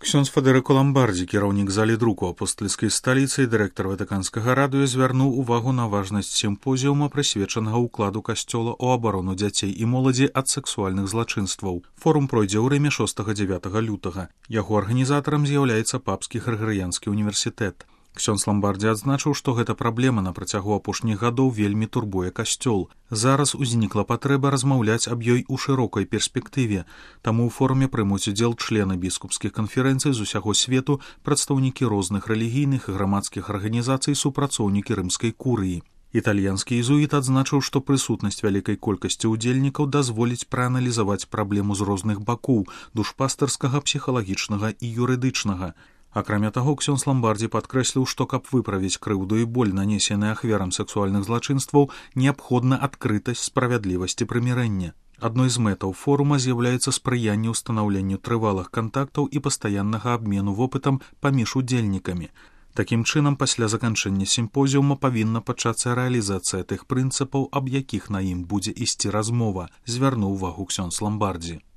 Ксёндз Федэрыко Ламбардзі, кіраўнік залі друку апостальскай сталіцы і дырэктар Ватыканскага радыё, звярнуў увагу на важнасць сімпозіума, прысвечанага ўкладу касцёла ў абарону дзяцей і моладзі ад сэксуальных злачынстваў. Форум пройдзе ў Рыме 6-9 лютага. Яго арганізатарам з'яўляецца Папскі Грыгарыянскі універсітэт. Ксёндз Ламбардзі адзначыў, што гэта праблема на працягу апошніх гадоў вельмі турбуе касцёл. Зараз узнікла патрэба размаўляць аб ёй у шырокай перспектыве. Таму ў форуме прымуць удзел члены біскупскіх канферэнцый з усяго свету, прадстаўнікі розных рэлігійных і грамадскіх арганізацый, супрацоўнікі рымскай курыі. Італьянскі езуіт адзначыў, што прысутнасць вялікай колькасці ўдзельнікаў дазволіць прааналізаваць праблему з розных бакоў – душпастарскага, псіхалагічнага і юрыдычнага. Акрамя таго, ксёндз Ламбардзі падкрэсліў, што каб выправіць крыўду і боль, нанесены ахвярам сексуальных злачынстваў, неабходна адкрытасць, справядлівасць і прымірэнне. Адной з мэтаў форума з'яўляецца спрыянне ўстанаўленню трывалых кантактаў і пастаяннага абмену вопытам паміж удзельнікамі. Такім чынам, пасля заканчэння сімпозіума павінна пачацца рэалізацыя тых прынцыпаў, аб якіх на ім будзе ісці размова, звярнуў увагу ксёндз Ламбардзі.